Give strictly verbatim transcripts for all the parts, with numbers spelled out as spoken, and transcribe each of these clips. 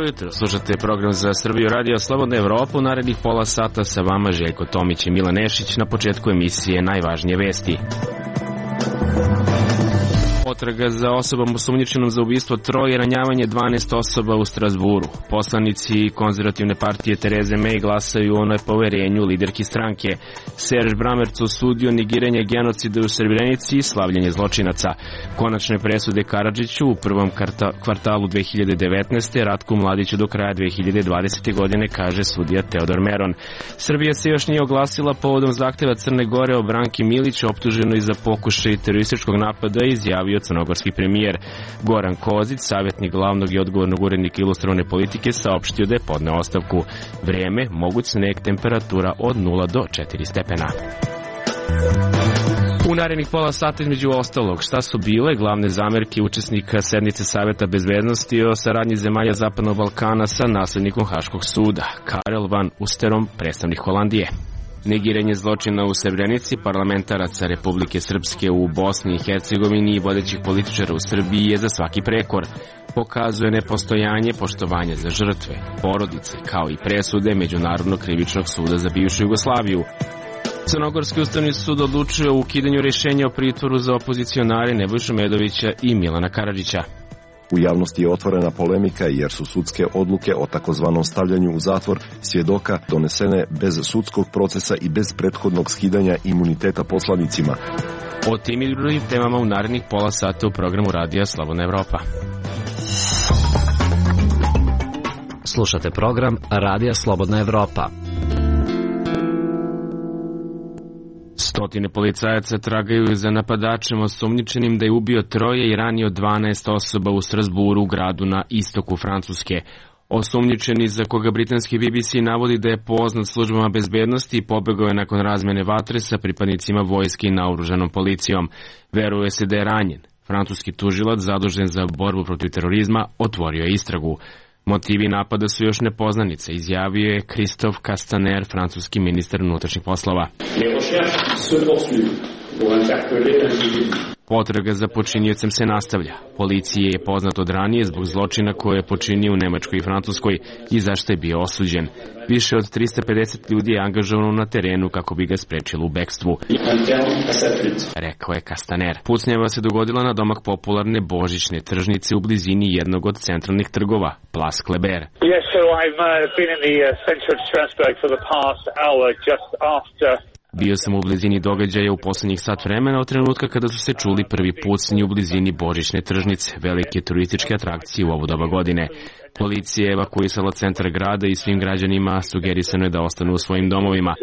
jutro, slušate program za Srbiju Radio Slobodna Evropa. U narednih pola sata sa vama Željko Tomić i Milan Nešić. Na početku emisije najvažnije vesti. Potraga za osobom osumnjičenom za ubistvo troje i ranjavanje dvanaest osoba u Strazburu. Poslanici konzervativne partije Tereze May glasaju o nepoverenju liderki stranke. Serž Bramerc osudio negiranje genocida u Srebrenici i slavljenje zločinaca. Konačne presude Karadžiću u prvom kvartalu dve hiljade devetnaeste. Ratku Mladiću do kraja dve hiljade dvadesete. godine, kaže sudija Teodor Meron. Srbija se još nije oglasila povodom zahteva Crne Gore o Branki Milić, optuženoj za pokušaj terorističkog napada, i izjavio crnogorski premijer. Goran Kozić, savjetnik glavnog i odgovornog urednika Ilustrovane politike, saopštio da je podneo ostavku. Vreme, moguć sneg, temperatura od nula do četiri stepena. U narednih pola sata, između ostalog, šta su bile glavne zamerke učesnika sednice Saveta bezbednosti o saradnji zemalja Zapadnog Balkana sa naslednikom Haškog suda, Karel van Usterom, predstavnik Holandije. Negiranje zločina u Srebrenici, parlamentaraca Republike Srpske u Bosni i Hercegovini i vodećih političara u Srbiji je za svaki prekor. Pokazuje nepostojanje poštovanja za žrtve, porodice, kao i presude Međunarodnog krivičnog suda za bivšu Jugoslaviju. Crnogorski ustavni sud odlučuje o ukidanju rješenja o pritvoru za opozicionare Nebojšu Medovića i Milana Karadžića. U javnosti je otvorena polemika jer su sudske odluke o takozvanom stavljanju u zatvor svjedoka donesene bez sudskog procesa i bez prethodnog skidanja imuniteta poslanicima. O tim i drugim temama u narednih pola sata u programu Radija Slobodna Evropa. Slušate program Radija Slobodna Evropa. Stotine policajaca tragaju za napadačem osumnjičenim da je ubio troje i ranio dvanaest osoba u Strazburu, gradu na istoku Francuske. Osumnjičeni, za koga britanski B B C navodi da je poznat službama bezbednosti, pobegao je nakon razmene vatre sa pripadnicima vojske i naoružanom policijom. Veruje se da je ranjen. Francuski tužilac zadužen za borbu protiv terorizma otvorio je istragu. Motivi napada su još nepoznanice, izjavio je Christophe Castaner, francuski ministar unutrašnjih poslova. Potraga za počiniocem se nastavlja. Policiji je poznat od ranije zbog zločina koje je počinio u Nemačkoj i Francuskoj i zašto je bio osuđen. Više od trista pedeset ljudi je angažovano na terenu kako bi ga sprečilo u bekstvu, rekao je Castaner. Pucnjava se dogodila na domak popularne božićne tržnice u blizini jednog od centralnih trgova, Place Kléber. Yes, so I've uh, been in the uh, center of Strasbourg for the past hour, just after. Bio sam u blizini događaja u poslednjih sat vremena od trenutka kada su se čuli prvi pucnji u blizini božićne tržnice, velike turističke atrakcije u ovo doba godine. Policija je evakuisala centar grada i svim građanima sugerisano je da ostanu u svojim domovima.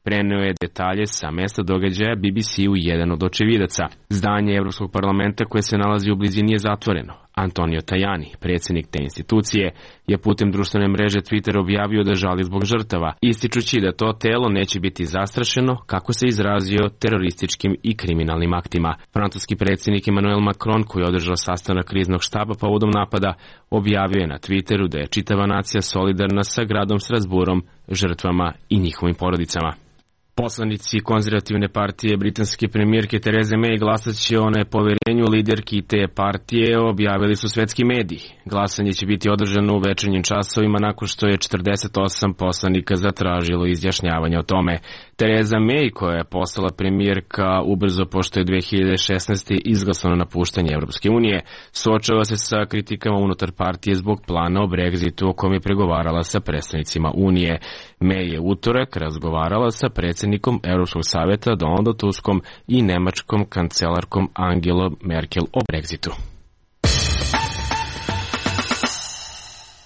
Preneo je detalje sa mesta događaja B B C-u jedan od očevidaca. Zdanje Evropskog parlamenta koje se nalazi u blizini je zatvoreno. Antonio Tajani, predsjednik te institucije, je putem društvene mreže Twitter objavio da žali zbog žrtava, ističući da to telo neće biti zastrašeno, kako se izrazio, terorističkim i kriminalnim aktima. Francuski predsjednik Emmanuel Macron, koji je održao sastanak kriznog štaba povodom napada, objavio je na Twitteru da je čitava nacija solidarna sa gradom Strasburom, žrtvama i njihovim porodicama. Poslanici konzervativne partije britanske premijerke Tereze May glasat će o nepoverenju liderki te partije, objavili su svetski mediji. Glasanje će biti održano u večernjim časovima nakon što je četrdeset osam poslanika zatražilo izjašnjavanje o tome. Tereza May, koja je postala premijerka ubrzo pošto je dve hiljade šesnaeste. izglasano napuštanje Evropske unije, suočava se sa kritikama unutar partije zbog plana o Brexitu o kojem je pregovarala sa predstavnicima Unije. May je utorak razgovarala sa predsjednikom Europskog savjeta Donaldom Tuskom i nemačkom kancelarkom Angelom Merkel o Brexitu.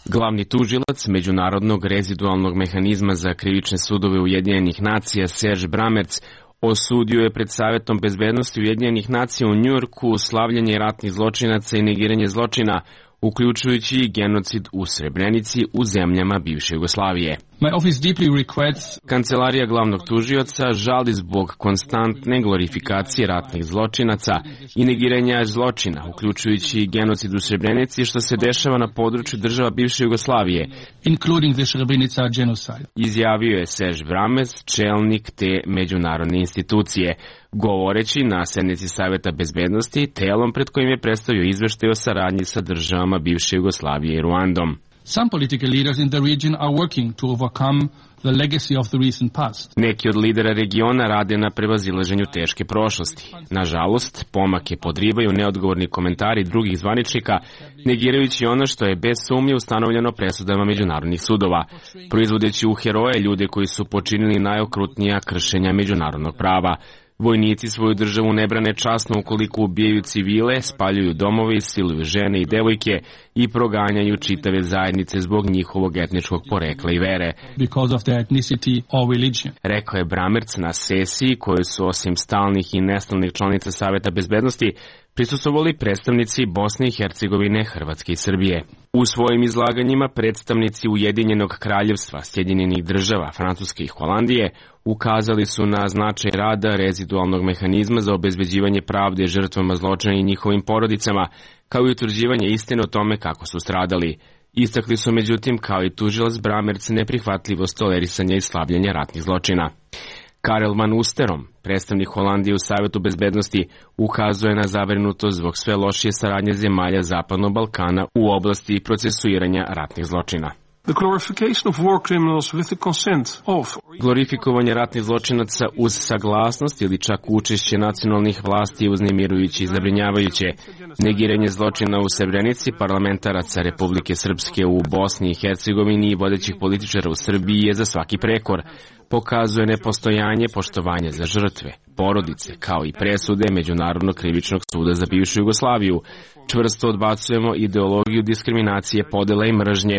Glavni tužilac Međunarodnog rezidualnog mehanizma za krivične sudove Ujedinjenih nacija Serž Bramerc osudio je pred Savjetom bezbednosti Ujedinjenih nacija u Njujorku slavljanje ratnih zločinaca i negiranje zločina, uključujući i genocid u Srebrenici u zemljama bivše Jugoslavije. Kancelarija glavnog tužioca žali zbog konstantne glorifikacije ratnih zločinaca i negiranja zločina, uključujući i genocid u Srebrenici, što se dešava na području država bivše Jugoslavije. Izjavio je Serge Brammertz, čelnik te međunarodne institucije, govoreći na sednici Saveta bezbednosti, telom pred kojim je predstavio izveštaj o saradnji sa državama bivše Jugoslavije i Ruandom. Some political leaders in the region are working to overcome the legacy of the recent past. Neki od lidera regiona rade na prevazilaženju teške prošlosti. Nažalost, pomake podrivaju neodgovorni komentari drugih zvaničnika, negirajući ono što je bez sumnje ustanovljeno presudama međunarodnih sudova, proizvodeći u heroje ljude koji su počinili najokrutnija kršenja međunarodnog prava. Vojnici svoju državu ne brane časno ukoliko ubijaju civile, spaljuju domove, siluju žene i devojke i proganjaju čitave zajednice zbog njihovog etničkog porekla i vere. Rekao je Brammertz na sesiji koju su osim stalnih i nestalnih članica Saveta bezbednosti prisustvovali predstavnici Bosne i Hercegovine, Hrvatske i Srbije. U svojim izlaganjima predstavnici Ujedinjenog kraljevstva, Sjedinjenih država, Francuske i Holandije ukazali su na značaj rada rezidualnog mehanizma za obezbeđivanje pravde žrtvama zločina i njihovim porodicama, kao i utvrđivanje istine o tome kako su stradali. Istakli su međutim, kao i tužilac Brammertz, neprihvatljivost tolerisanja i slabljenja ratnih zločina. Karel van Oosterom, predstavnik Holandije u Savetu bezbednosti, ukazuje na zabrinutost zbog sve lošije saradnje zemalja Zapadnog Balkana u oblasti procesuiranja ratnih zločina. Glorifikovanje ratnih zločinaca uz saglasnost ili čak učešće nacionalnih vlasti je uznemirujuće i zabrinjavajuće. Negiranje zločina u Srebrenici parlamentaraca Republike Srpske u Bosni i Hercegovini i vodećih političara u Srbiji je za svaki prekor. Pokazuje nepostojanje poštovanja za žrtve, porodice, kao i presude Međunarodnog krivičnog suda za bivšu Jugoslaviju. Čvrsto odbacujemo ideologiju diskriminacije, podela i mržnje,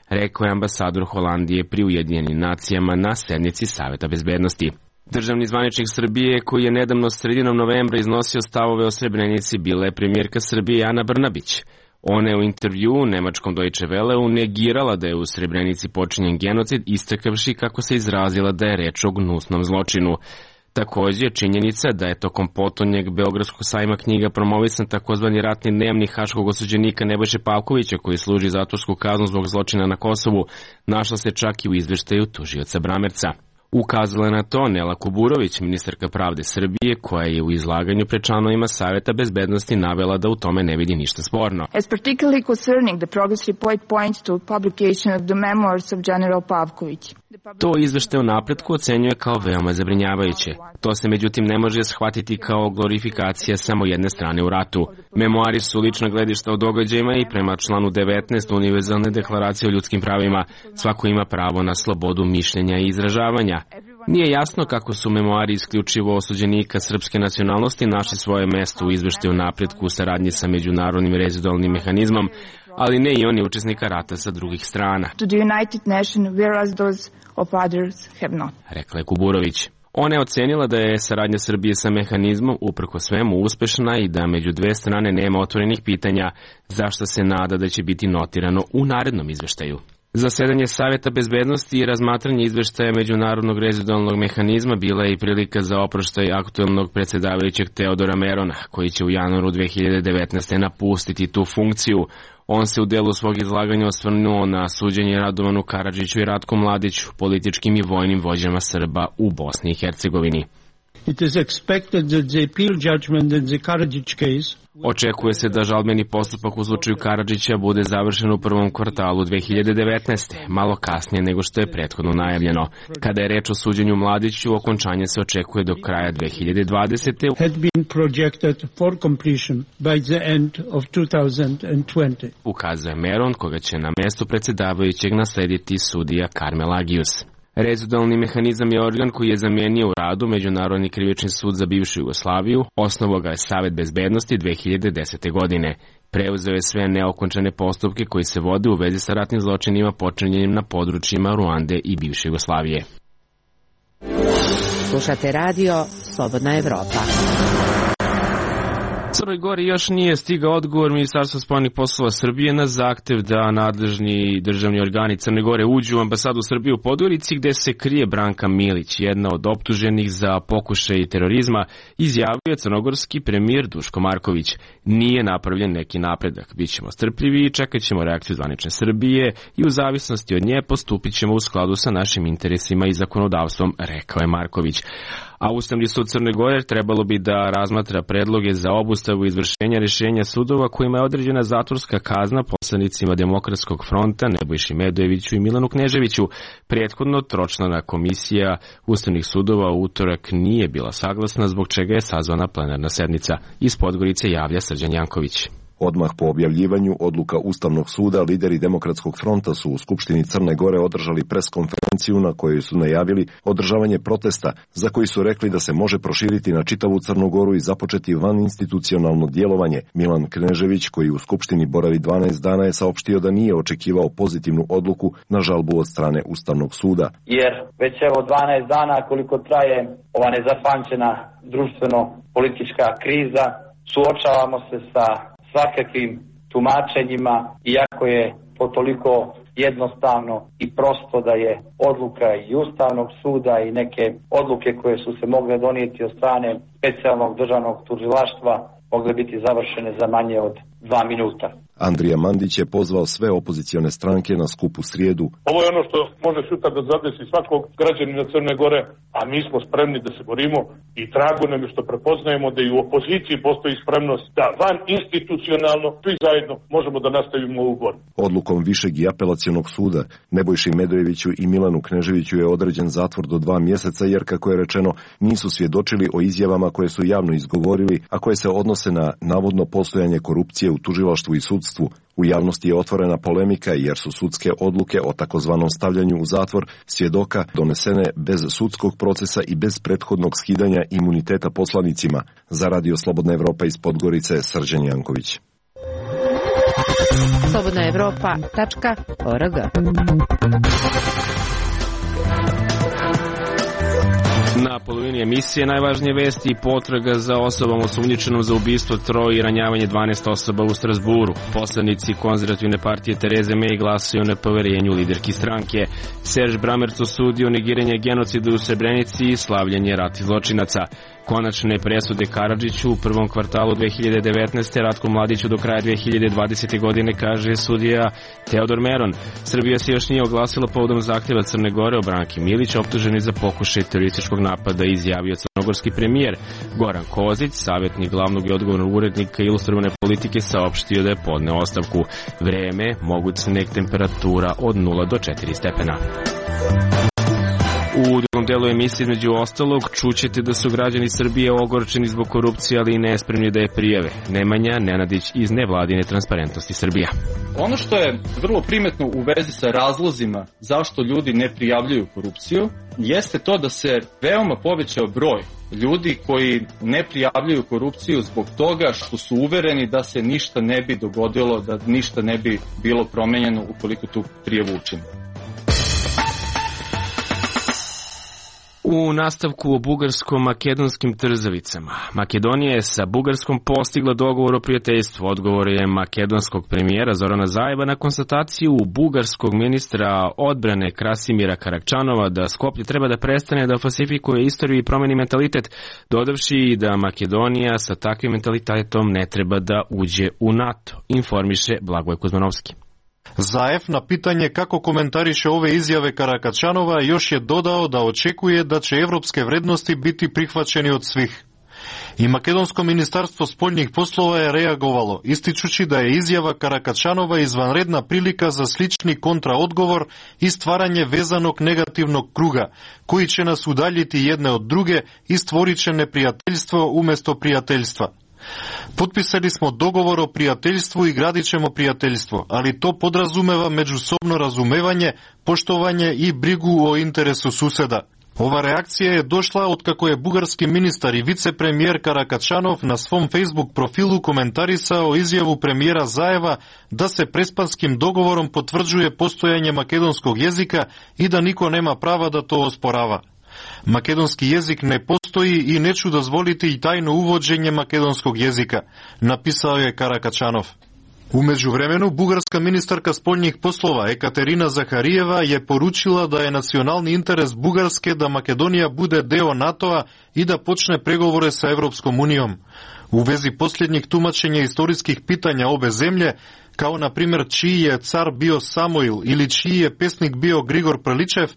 rekao je ambasador Holandije pri Ujedinjenim nacijama na sednici Saveta bezbednosti. Državni zvaničnik Srbije, koji je nedavno sredinom novembra iznosio stavove o Srebrenici, bila je premijerka Srbije Ana Brnabić. Ona je u intervjuu nemačkom Deutsche Welleu negirala da je u Srebrenici počinjen genocid, istakavši kako se izrazila da je reč o gnusnom zločinu. Također, činjenica da je tokom potonjeg Beogradskog sajma knjiga promovisan takozvani ratni dnevnik haškog osuđenika Nebojše Pavkovića, koji služi zatvorsku kaznu zbog zločina na Kosovu, našla se čak i u izveštaju tužioca Brammertza. Ukazala je na to Nela Kuburović, ministarka pravde Srbije, koja je u izlaganju pred članovima Saveta bezbednosti navela da u tome ne vidi ništa sporno. As particularly concerning the progress report points to publication of the memoirs of General Pavković. To izveštaj o napretku ocenjuje kao veoma zabrinjavajuće. To se međutim ne može shvatiti kao glorifikacija samo jedne strane u ratu. Memoari su lična gledišta o događajima i prema članu devetnaest Univerzalne deklaracije o ljudskim pravima svako ima pravo na slobodu mišljenja i izražavanja. Nije jasno kako su memoari isključivo osuđenika srpske nacionalnosti našli svoje mesto u izveštaju o napretku u saradnji sa međunarodnim rezidualnim mehanizmom, ali ne i oni učesnika rata sa drugih strana. To the United Nations, whereas those of others have not. Rekla je Kuburović. Ona je ocenila da je saradnja Srbije sa mehanizmom uprko svemu uspešna i da među dve strane nema otvorenih pitanja, zašto se nada da će biti notirano u narednom izveštaju. Zasedanje Saveta bezbednosti i razmatranje izveštaja Međunarodnog rezidualnog mehanizma bila je i prilika za oproštaj aktuelnog predsjedavajućeg Teodora Merona, koji će u januaru dve hiljade devetnaeste. napustiti tu funkciju. On se u delu svog izlaganja osvrnuo na suđenje Radovanu Karadžiću i Ratku Mladiću, političkim i vojnim vođama Srba u Bosni i Hercegovini. It is expected that the appeal judgment in the Karadžić case Očekuje se da žalbeni postupak u slučaju Karadžića bude završen u prvom kvartalu dve hiljade devetnaeste. malo kasnije nego što je prethodno najavljeno. Kada je reč o suđenju Mladiću, okončanje se očekuje do kraja dve hiljade dvadesete. had been projected for completion by the end of two thousand twenty. Ukazuje Meron, koga će na mestu predsjedavajućeg naslediti sudija Karmel Agius. Rezidualni mehanizam je organ koji je zamijenio u radu Međunarodni krivični sud za bivšu Jugoslaviju, osnovao ga je Savet bezbednosti dve hiljade desete. godine. Preuzeo je sve neokončane postupke koji se vode u vezi sa ratnim zločinima počinjenim na područjima Ruande i bivše Jugoslavije. Slušate radio Slobodna Evropa. Crnoj Gori još nije stigao odgovor Ministarstva spoljnih poslova Srbije na zahtev da nadležni državni organi Crne Gore uđu u ambasadu Srbije u Podgorici gde se krije Branka Milić, jedna od optuženih za pokušaj terorizma, izjavio crnogorski premijer Duško Marković. Nije napravljen neki napredak, bit ćemo strpljivi i čekat ćemo reakciju zvanične Srbije i u zavisnosti od nje postupit ćemo u skladu sa našim interesima i zakonodavstvom, rekao je Marković. A Ustavni sud Crne Gore trebalo bi da razmatra predloge za obustavu izvršenja rješenja sudova kojima je određena zatvorska kazna poslanicima Demokratskog fronta Nebojši Medojeviću i Milanu Kneževiću. Prethodno tročlana komisija Ustavnih sudova u utorak nije bila saglasna, zbog čega je sazvana plenarna sednica. Iz Podgorice javlja Srđan Janković. Odmah po objavljivanju odluka Ustavnog suda, lideri Demokratskog fronta su u Skupštini Crne Gore održali preskonferenciju na kojoj su najavili održavanje protesta, za koji su rekli da se može proširiti na čitavu Crnu Goru i započeti vaninstitucionalno djelovanje. Milan Knežević, koji u Skupštini boravi dvanaest dana, je saopštio da nije očekivao pozitivnu odluku na žalbu od strane Ustavnog suda. Jer već evo dvanaest dana koliko traje ova nezapamćena društveno-politička kriza, suočavamo se sa svakakvim tumačenjima, iako je to toliko jednostavno i prosto da je odluka i Ustavnog suda i neke odluke koje su se mogle donijeti od strane specijalnog državnog tužilaštva mogle biti završene za manje od dva minuta. Andrija Mandić je pozvao sve opozicione stranke na skup u srijedu. Ovo je ono što može sutra da zadesi svakog građanina Crne Gore, a mi smo spremni da se borimo i drago nam je što prepoznajemo da i u opoziciji postoji spremnost da van institucionalno svi zajedno možemo da nastavimo ovu borbu. Odlukom Višeg i apelacionog suda Nebojši Medojeviću i Milanu Kneževiću je određen zatvor do dva mjeseca jer, kako je rečeno, nisu svjedočili o izjavama koje su javno izgovorili, a koje se odnose na navodno postojanje korupcije u tužilaštvu i sudstvu. U javnosti je otvorena polemika jer su sudske odluke o takozvanom stavljanju u zatvor svjedoka donesene bez sudskog procesa i bez prethodnog skidanja imuniteta poslanicima. Za Radio Slobodna Evropa iz Podgorice, Srđan Janković. slobodna evropa tačka org. Na polovini emisije najvažnije vesti i potraga za osobom osumnjičenom za ubistvo troje i ranjavanje dvanaest osoba u Strasburu. Poslanici konzervativne partije Tereze May glasuju o nepoverenju liderki stranke. Serž Bramerc osudio negiranje genocida u Srebrenici i slavljanje ratnih zločinaca. Konačne presude Karadžiću u prvom kvartalu dve hiljade devetnaeste. Ratku Mladiću do kraja dve hiljade dvadesete. godine, kaže sudija Teodor Meron. Srbija se još nije oglasila povodom zahtjeva Crne Gore o Branki Milić, optuženi za pokušaj terorističkog napada, izjavio crnogorski premijer. Goran Kozić, savjetnik glavnog i odgovornog urednika ilustrovane politike, saopštio da je podneo ostavku. Vreme, moguć sneg, temperatura od nula do četiri stepena. U drugom delu emisije, između ostalog, čućete da su građani Srbije ogorčeni zbog korupcije, ali i nespremni da je prijave. Nemanja Nenadić iz nevladine Transparentnosti Srbija. Ono što je vrlo primetno u vezi sa razlozima zašto ljudi ne prijavljuju korupciju, jeste to da se veoma povećao broj ljudi koji ne prijavljuju korupciju zbog toga što su uvereni da se ništa ne bi dogodilo, da ništa ne bi bilo promenjeno ukoliko tu prijavu učine. U nastavku o bugarsko-makedonskim trzavicama. Makedonija je sa Bugarskom postigla dogovor o prijateljstvu. Odgovor je makedonskog premijera Zorana Zajeva na konstataciju bugarskog ministra odbrane Krasimira Karakčanova da Skoplje treba da prestane da falsifikuje istoriju i promeni mentalitet, dodavši da Makedonija sa takvim mentalitetom ne treba da uđe u NATO, informiše Blagoj Kuzmanovski. Zaev na pitanje kako komentariše ove izjave Karakčanova još je dodao da očekuje da će evropske vrednosti biti prihvaćeni od svih. I Makedonsko ministarstvo spoljnih poslova je reagovalo, ističući da je izjava Karakčanova izvanredna prilika za slični kontraodgovor i stvaranje vezanog negativnog kruga, koji će nas udaljiti jedne od druge i stvorit će neprijateljstvo umjesto prijateljstva. Potpisali smo dogovor o prijateljstvu i gradit ćemo prijateljstvo, ali to podrazumeva međusobno razumevanje, poštovanje i brigu o interesu suseda. Ova reakcija je došla od kako je bugarski ministar i vicepremijer Karakčanov na svom Facebook profilu komentarisao izjavu premijera Zajeva da se prespanskim dogovorom potvrđuje postojanje makedonskog jezika i da niko nema prava da to osporava. Makedonski jezik ne postoji i neću dozvoliti i tajno uvođenje makedonskog jezika, napisao je Karakačanov. U međuvremenu, bugarska ministarka spoljnih poslova Ekaterina Zaharijeva je poručila da je nacionalni interes Bugarske da Makedonija bude deo NATO-a i da počne pregovore sa Evropskom unijom. U vezi posljednjih tumačenja istorijskih pitanja obe zemlje, kao na primjer čiji je car bio Samoil ili čiji je pesnik bio Grigor Prličev,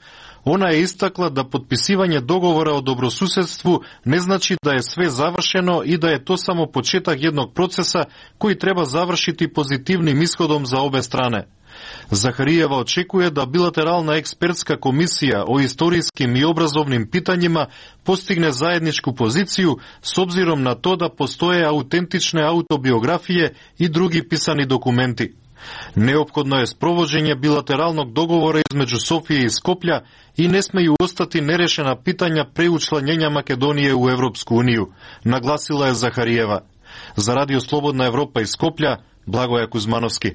ona je istakla da potpisivanje dogovora o dobrosusedstvu ne znači da je sve završeno i da je to samo početak jednog procesa koji treba završiti pozitivnim ishodom za obe strane. Zaharijeva očekuje da bilateralna ekspertska komisija o istorijskim i obrazovnim pitanjima postigne zajedničku poziciju s obzirom na to da postoje autentične autobiografije i drugi pisani dokumenti. Neophodno je sprovođenje bilateralnog dogovora između Sofije i Skoplja i ne smeju ostati nerešena pitanja pre učlanjenja Makedonije u Evropsku uniju, naglasila je Zaharijeva. Za Radio Slobodna Evropa iz Skoplja, Blagoja Kuzmanovski.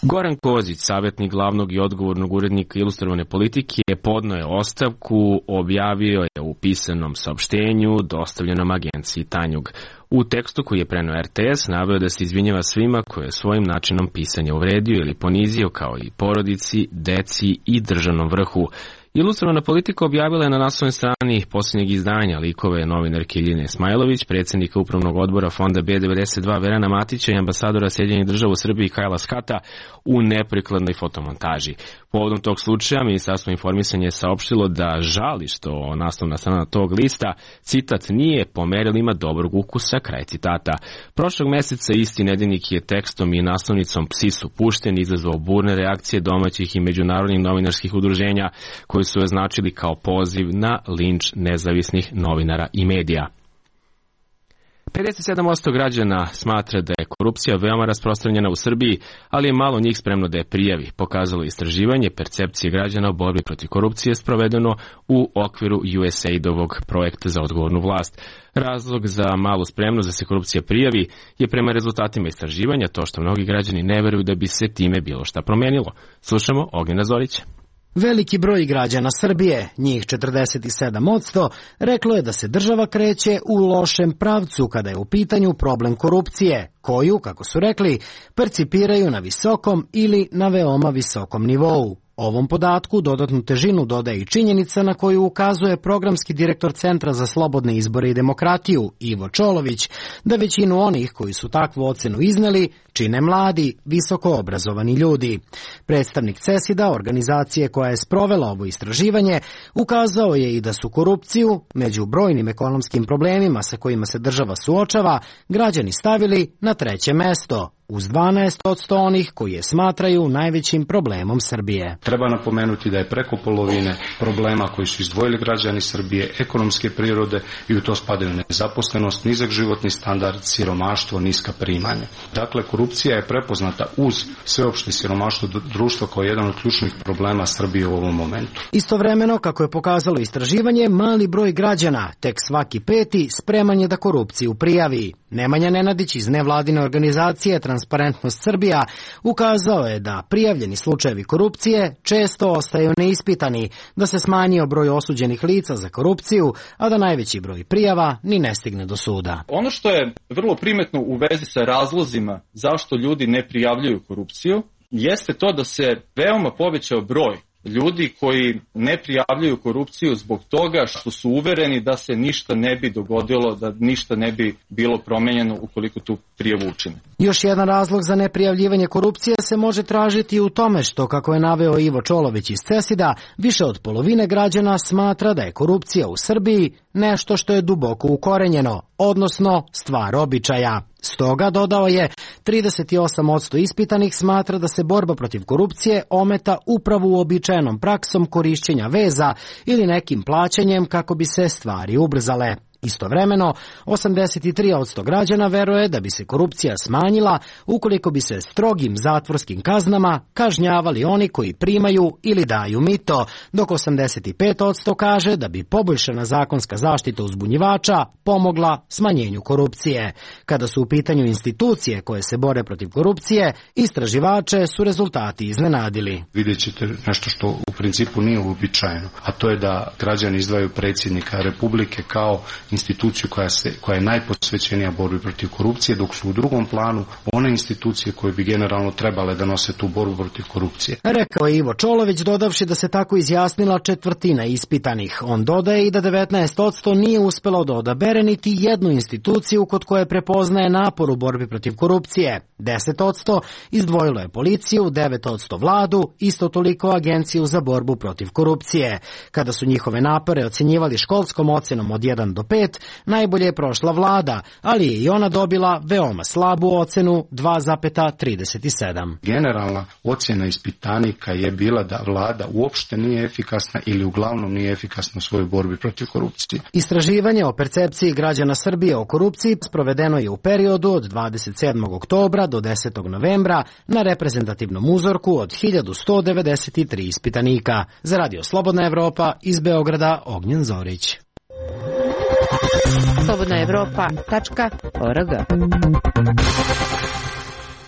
Goran Kozić, savjetnik glavnog i odgovornog urednika Ilustrovane politike, podneo je ostavku, objavio je u pisanom saopštenju dostavljenom agenciji Tanjug. U tekstu koji je preneo R T S naveo da se izvinjava svima koje je svojim načinom pisanja uvredio ili ponizio, kao i porodici, deci i državnom vrhu. Ilustrovana politika objavila je na naslovnoj strani posljednjeg izdanja likove novinarke Iljine Smajlović, predsjednika upravnog odbora Fonda B devedeset dva Verana Matića i ambasadora Sjedinjenih država u Srbiji Kajla Skata u neprikladnoj fotomontaži. Povodom tog slučaja Ministarstvo informisanja je saopštilo da žali što naslovna strana tog lista, citat, nije po merilima dobrog ukusa, kraj citata. Prošlog meseca isti nedeljnik je tekstom i naslovnicom Psi su pušteni izazvao burne reakcije domaćih i međunarodnih novinarskih udruženja koji su označili kao poziv na linč nezavisnih novinara i medija. pedeset sedam posto građana smatra da je korupcija veoma rasprostranjena u Srbiji, ali je malo njih spremno da je prijavi, pokazalo istraživanje percepcije građana o borbi protiv korupcije sprovedeno u okviru U S A I D-ovog projekta za odgovornu vlast. Razlog za malu spremnost da se korupcija prijavi je prema rezultatima istraživanja to što mnogi građani ne veruju da bi se time bilo šta promenilo. Slušamo Ognjena Zorića. Veliki broj građana Srbije, njih četrdeset sedam posto, reklo je da se država kreće u lošem pravcu kada je u pitanju problem korupcije, koju, kako su rekli, percipiraju na visokom ili na veoma visokom nivou. Ovom podatku dodatnu težinu dodaje i činjenica na koju ukazuje programski direktor Centra za slobodne izbore i demokratiju, Ivo Čolović, da većinu onih koji su takvu ocenu izneli čine mladi, visoko obrazovani ljudi. Predstavnik CESID-a, organizacije koja je sprovela ovo istraživanje, ukazao je i da su korupciju, među brojnim ekonomskim problemima sa kojima se država suočava, građani stavili na treće mesto, uz dvanaest posto onih koji je smatraju najvećim problemom Srbije. Treba napomenuti da je preko polovine problema koji su izdvojili građani Srbije ekonomske prirode i u to spadaju nezaposlenost, nizak životni standard, siromaštvo, niska primanja. Dakle, korupcija je prepoznata uz sveopšte siromaštvo društva kao jedan od ključnih problema Srbije u ovom momentu. Istovremeno, kako je pokazalo istraživanje, mali broj građana, tek svaki peti, spreman je da korupciju prijavi. Nemanja Nenadić iz nevladine organizacije Transparentnost Srbija ukazao je da prijavljeni slučajevi korupcije često ostaju neispitani, da se smanjio broj osuđenih lica za korupciju, a da najveći broj prijava ni ne stigne do suda. Ono što je vrlo primetno u vezi sa razlozima zašto ljudi ne prijavljuju korupciju, jeste to da se veoma povećao broj ljudi koji ne prijavljuju korupciju zbog toga što su uvereni da se ništa ne bi dogodilo, da ništa ne bi bilo promenjeno ukoliko tu prijavu učine. Još jedan razlog za neprijavljivanje korupcije se može tražiti u tome što, kako je naveo Ivo Čolović iz CESID-a, više od polovine građana smatra da je korupcija u Srbiji nešto što je duboko ukorenjeno, odnosno stvar običaja. Stoga, dodao je, trideset osam posto ispitanih smatra da se borba protiv korupcije ometa upravo uobičajenom praksom korišćenja veza ili nekim plaćanjem kako bi se stvari ubrzale. Istovremeno, osamdeset tri posto građana veruje da bi se korupcija smanjila ukoliko bi se strogim zatvorskim kaznama kažnjavali oni koji primaju ili daju mito, dok osamdeset pet posto kaže da bi poboljšana zakonska zaštita uzbunjivača pomogla smanjenju korupcije. Kada su u pitanju institucije koje se bore protiv korupcije, istraživače su rezultati iznenadili. Vidjet ćete nešto što u principu nije uobičajeno, a to je da građani izdvajaju predsjednika Republike kao instituciju koja, se, koja je najposvećenija borbi protiv korupcije, dok su u drugom planu one institucije koje bi generalno trebale da nose tu borbu protiv korupcije. Rekao je Ivo Čolović, dodavši da se tako izjasnila četvrtina ispitanih. On dodaje i da devetnaest posto nije uspelo da odabere niti jednu instituciju kod koje prepoznaje napor u borbi protiv korupcije. deset posto izdvojilo je policiju, devet posto vladu, isto toliko agenciju za borbu protiv korupcije. Kada su njihove napore ocjenjivali školskom ocenom od jedan do pet, najbolje je prošla vlada, ali je i ona dobila veoma slabu ocenu dva zarez trideset sedam. Generalna ocjena ispitanika je bila da vlada uopšte nije efikasna ili uglavnom nije efikasna u svojoj borbi protiv korupcije. Istraživanje o percepciji građana Srbije o korupciji sprovedeno je u periodu od dvadeset sedmog oktobra do desetog novembra na reprezentativnom uzorku od hiljadu sto devedeset tri ispitanika. Za Radio Slobodna Evropa iz Beograda Ognjen Zorić. slobodna evropa tačka org.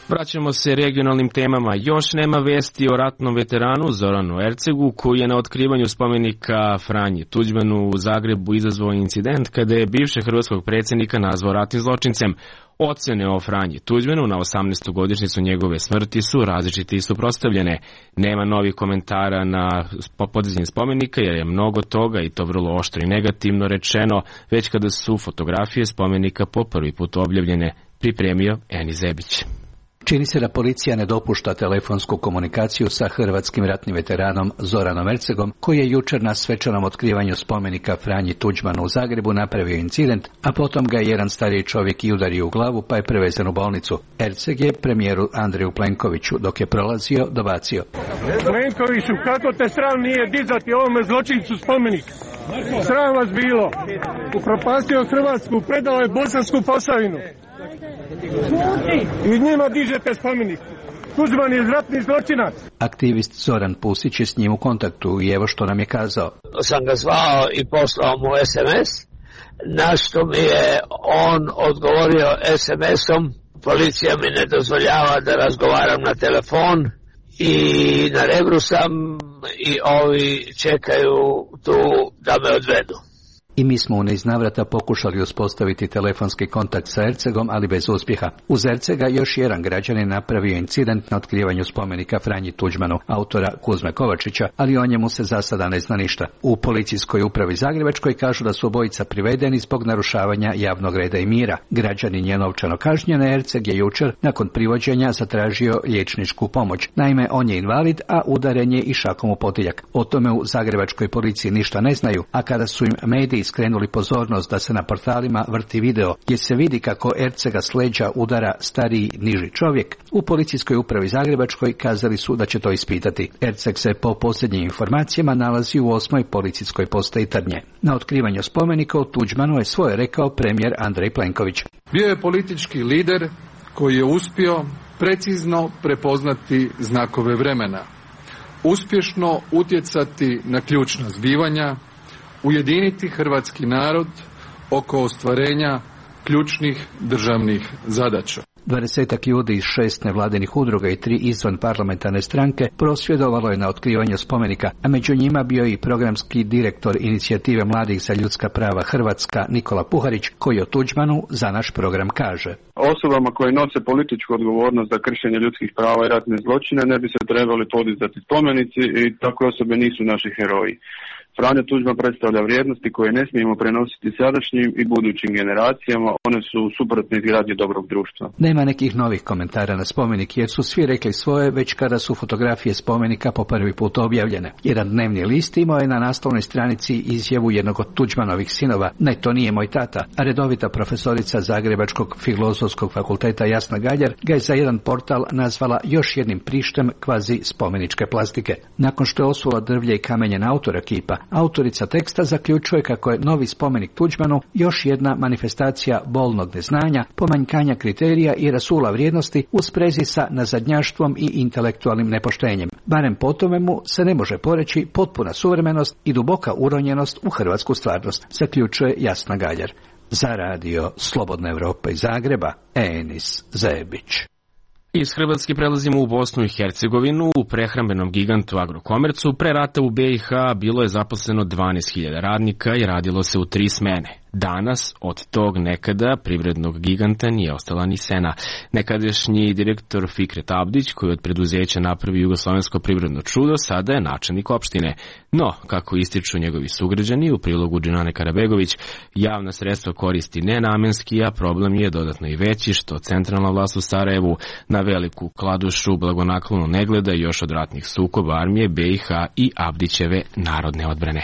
Vraćamo se regionalnim temama. Još nema vesti o ratnom veteranu Zoranu Ercegu, koji je na otkrivanju spomenika Franji Tuđmanu u Zagrebu izazvao incident kada je bivšeg hrvatskog predsjednika nazvao ratnim zločincem. Ocene o Franji Tuđmanu na osamnaestu godišnjicu njegove smrti su različite i suprotstavljene. Nema novih komentara na podizanje spomenika jer je mnogo toga, i to vrlo oštro i negativno rečeno, već kada su fotografije spomenika po prvi put objavljene, pripremio Eni Zebić. Čini se da policija ne dopušta telefonsku komunikaciju sa hrvatskim ratnim veteranom Zoranom Ercegom, koji je jučer na svečanom otkrivanju spomenika Franji Tuđmanu u Zagrebu napravio incident, a potom ga je jedan stariji čovjek i udario u glavu pa je prevezen u bolnicu. Erceg je premijeru Andreju Plenkoviću dok je prolazio dobacio: Plenkoviću, kako te sram nije dizati ovome zločincu spomenik? Sram vas bilo. Upropastio Hrvatsku, predao je Bosansku Posavinu. I njima dižete spomenik. Tuđman je ratni zločinac. Aktivist Zoran Pusić je s njim u kontaktu i evo što nam je kazao. Sam ga zvao i poslao mu es em es, na što mi je on odgovorio es em esom: policija mi ne dozvoljava da razgovaram na telefon i na Rebru sam i ovi čekaju tu da me odvedu. I mi smo u niz navrata pokušali uspostaviti telefonski kontakt sa Ercegom, ali bez uspjeha. Uz Ercega još jedan građanin napravio incident na otkrivanju spomenika Franji Tuđmanu, autora Kuzme Kovačića, ali o njemu se za sada ne zna ništa. U policijskoj upravi Zagrebačkoj kažu da su obojica privedeni zbog narušavanja javnog reda i mira. Građanin je novčano kažnjen, a Erceg je jučer nakon privođenja zatražio liječničku pomoć. Naime, on je invalid, a udaren je i šakom u potiljak. O tome u Zagrebačkoj policiji ništa ne znaju, a kada su im mediji skrenuli pozornost da se na portalima vrti video gdje se vidi kako Ercega s leđa udara stariji niži čovjek, u policijskoj upravi Zagrebačkoj kazali su da će to ispitati. Erceg se po posljednjim informacijama nalazi u osmoj policijskoj postaji Trnje. Na otkrivanju spomenika u Tuđmanu je svoje rekao premijer Andrej Plenković. Bio je politički lider koji je uspio precizno prepoznati znakove vremena, uspješno utjecati na ključna zbivanja, ujediniti hrvatski narod oko ostvarenja ključnih državnih zadaća. Dvadesetak ljudi iz šest nevladinih udruga i tri izvan parlamentarne stranke prosvjedovalo je na otkrivanju spomenika, a među njima bio i programski direktor inicijative mladih za ljudska prava Hrvatska Nikola Puharić, koji o Tuđmanu za naš program kaže: Osobama koje nose političku odgovornost za kršenje ljudskih prava i ratne zločine ne bi se trebali podizati spomenici i takve osobe nisu naši heroji. Franjo Tuđman predstavlja vrijednosti koje ne smijemo prenositi sadašnjim i budućim generacijama, one su suprotne izgradnji dobrog društva. Nema nekih novih komentara na spomenik jer su svi rekli svoje već kada su fotografije spomenika po prvi put objavljene. Jedan dnevni list imao je na naslovnoj stranici izjavu jednog od Tuđmanovih sinova: ne, to nije moj tata, a redovita profesorica Zagrebačkog filozofskog fakulteta Jasna Galjar ga je za jedan portal nazvala još jednim prištem kvazi spomeničke plastike. Nakon što je osula drvlje i kamenje na autora kipa, autorica teksta zaključuje kako je novi spomenik Tuđmanu još jedna manifestacija bolnog neznanja, pomanjkanja kriterija i rasula vrijednosti u sprezi sa nazadnjaštvom i intelektualnim nepoštenjem. Barem po tome mu se ne može poreći potpuna suvremenost i duboka uronjenost u hrvatsku stvarnost, zaključuje Jasna Galjar. Za radio Slobodna Evropa iz Zagreba, Enis Zebić. Iz Hrvatske prelazimo u Bosnu i Hercegovinu. U prehrambenom gigantu Agrokomercu pre rata u B i H bilo je zaposleno dvanaest hiljada radnika i radilo se u tri smene. Danas od tog nekada privrednog giganta nije ostala ni sena. Nekadašnji direktor Fikret Abdić, koji od preduzeća napravi jugoslovensko privredno čudo, sada je načelnik opštine. No, kako ističu njegovi sugrađani u prilogu Džinane Karabegović, javna sredstva koristi nenamenski, a problem je dodatno i veći što centralna vlast u Sarajevu na veliku kladušu blagonaklono ne gleda još od ratnih sukoba armije B i H i Abdićeve narodne odbrane.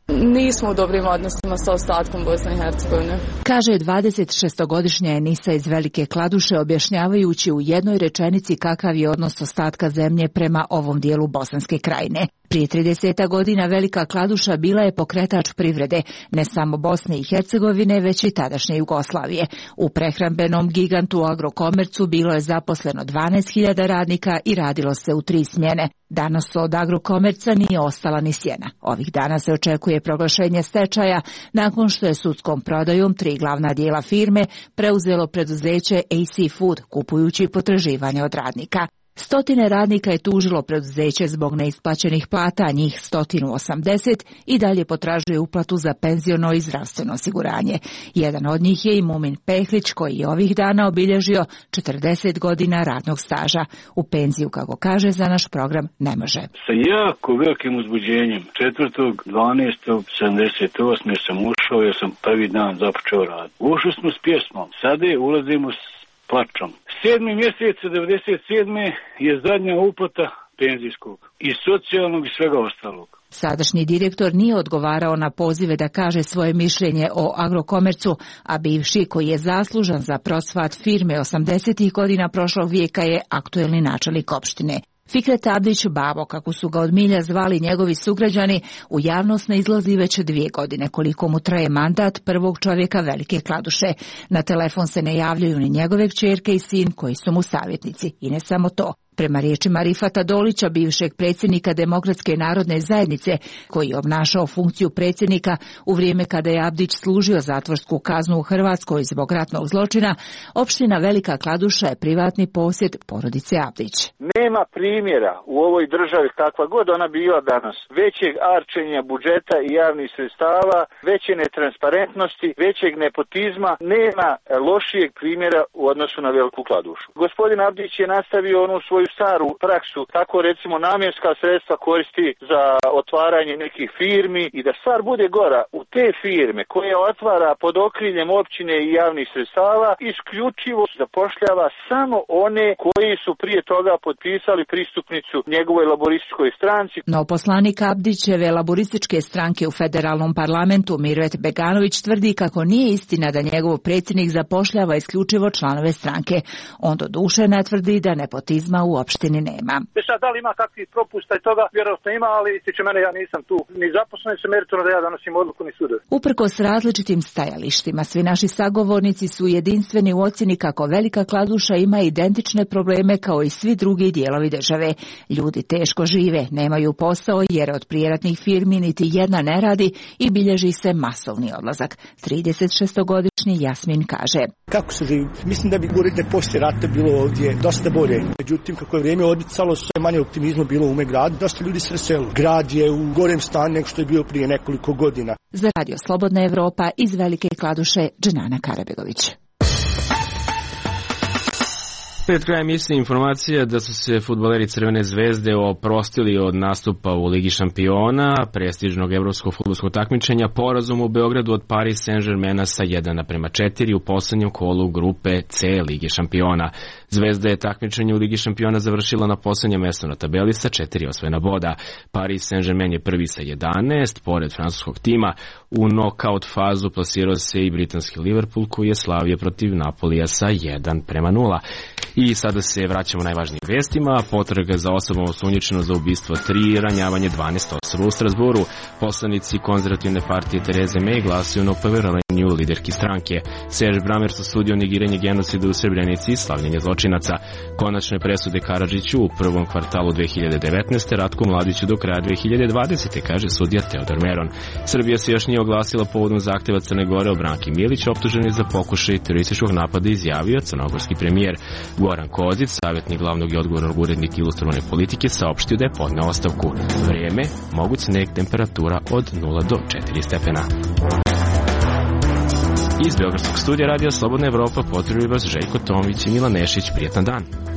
Nismo u dobrim odnosima sa ostatkom Bosne i Hercegovine. Kaže dvadesetšestogodišnja Enisa iz Velike Kladuše, objašnjavajući u jednoj rečenici kakav je odnos ostatka zemlje prema ovom dijelu Bosanske krajine. Prije trideset godina Velika Kladuša bila je pokretač privrede, ne samo Bosne i Hercegovine, već i tadašnje Jugoslavije. U prehrambenom gigantu Agrokomercu bilo je zaposleno dvanaest hiljada radnika i radilo se u tri smjene. Danas od Agrokomerca nije ostala ni sjena. Ovih dana se očekuje proglašenje stečaja nakon što je sudskom prodajom tri glavna dijela firme preuzelo preduzeće A C Food, kupujući potraživanja od radnika. Stotine radnika je tužilo preduzeće zbog neisplaćenih plata, njih sto osamdeset i dalje potražuje uplatu za penziono i zdravstveno osiguranje. Jedan od njih je i Mumin Pehlić, koji je ovih dana obilježio četrdeset godina radnog staža. U penziju, kako kaže, za naš program ne može. Sa jako velikim uzbuđenjem četvrtog dvanaestog sedamdeset osme sam ušao, jer sam prvi dan započeo rad. Ušli smo s pjesmom, sada ulazimo s plačom. Sedmi mjesec devedeset sedme je zadnja uplata penzijskog i socijalnog i svega ostalog. Sadašnji direktor nije odgovarao na pozive da kaže svoje mišljenje o Agrokomercu, a bivši, koji je zaslužan za procvat firme osamdesetih godina prošlog vijeka, je aktuelni načelnik opštine. Fikret Abdić, babo, kako su ga od milja zvali njegovi sugrađani, u javnost ne izlazi već dvije godine, koliko mu traje mandat prvog čovjeka Velike Kladuše. Na telefon se ne javljaju ni njegove kćerke i sin, koji su mu savjetnici. I ne samo to. Prema riječima Rifata Dolića, bivšeg predsjednika Demokratske narodne zajednice, koji je obnašao funkciju predsjednika u vrijeme kada je Abdić služio zatvorsku kaznu u Hrvatskoj zbog ratnog zločina, opština Velika Kladuša je privatni posjed porodice Abdić. Nema primjera u ovoj državi, kakva god ona bila danas, većeg arčenja budžeta i javnih sredstava, veće netransparentnosti, većeg nepotizma, nema lošijeg primjera u odnosu na Veliku Kladušu. Gospodin Abdić je nastavio onu svoju staru praksu, tako recimo namjenska sredstva koristi za otvaranje nekih firmi i da stvar bude gora, u te firme koje otvara pod okriljem općine i javnih sredstava isključivo zapošljava samo one koji su prije toga potpisali pristupnicu njegovoj laborističkoj stranci. No poslanik Abdićeve laborističke stranke u federalnom parlamentu Miroet Beganović tvrdi kako nije istina da njegov predsjednik zapošljava isključivo članove stranke. On do duše ne tvrdi da nepotizma u opštini nema. Sad, da li ima kakvih propusta i toga, vjerojatno ima, ali tiče mene, ja nisam tu ni zaposlen, se meritorno da ja donosim odluku ni sudovi. Uprkos različitim stajalištima, svi naši sagovornici su jedinstveni u ocjeni kako Velika Kladuša ima identične probleme kao i svi drugi dijelovi države. Ljudi teško žive, nemaju posao jer od prijeratnih firmi niti jedna ne radi i bilježi se masovni odlazak. tridesetšestogodišnji Jasmin kaže: Kako se živi? Mislim da bi govorite poslije rata bilo ovdje dosta bolje. Međutim, kako je vrijeme odmicalo, sve manje optimizma bilo u ume gradu, dosta ljudi se raselo. Grad je u gorem stanju nego što je bio prije nekoliko godina. Za radio Slobodna Evropa iz Velike Kladuše, Džinana Karabegović. Pred krajem misli informacija da su se fudbaleri Crvene zvezde oprostili od nastupa u Ligi šampiona, prestižnog evropskog fudbalskog takmičenja, porazom u Beogradu od Paris Saint-Germaina sa jedan naprema četiri u poslednjem kolu grupe C Lige šampiona. Zvezda je takmičenje u Ligi šampiona završila na poslednjem mjestu na tabeli sa četiri osvojena boda. Paris Saint-Germain je prvi sa jedanaest, pored francuskog tima. U nokaut fazu plasirao se i britanski Liverpool, koji je slavio protiv Napolija sa jedan prema nula. I sada se vraćamo najvažnijim vestima. Potraga za osobom osumnjičenom za ubistvo tri, ranjavanje dvanaest osoba u Strasburu. Poslanici konzervativne partije Tereze May glasuju na poverenju liderki stranke. Serge Bramers osudio negiranje genocida u Srebrenici i slavljenje zločinaca. Konačne presude Karadžiću u prvom kvartalu dve hiljade devetnaeste. Ratku Mladiću do kraja dve hiljade dvadesete. kaže sudija Teodor Meron. Srbija se još nije oglasila povodom zahteva Crne Gore o Branki Milić, optuženi za pokušaj terorističkog napada, izjavio crnogorski premijer. Goran Kozić, savjetnik glavnog i odgovornog urednika Ilustrovane politike, saopštio da je podneo ostavku. Vrijeme, moguć sneg, temperatura od nula do četiri stepena. Iz Beogradskog studija Radija Slobodna Evropa pozdravljaju vas Željko Tomić i Milan Nešić. Prijetan dan.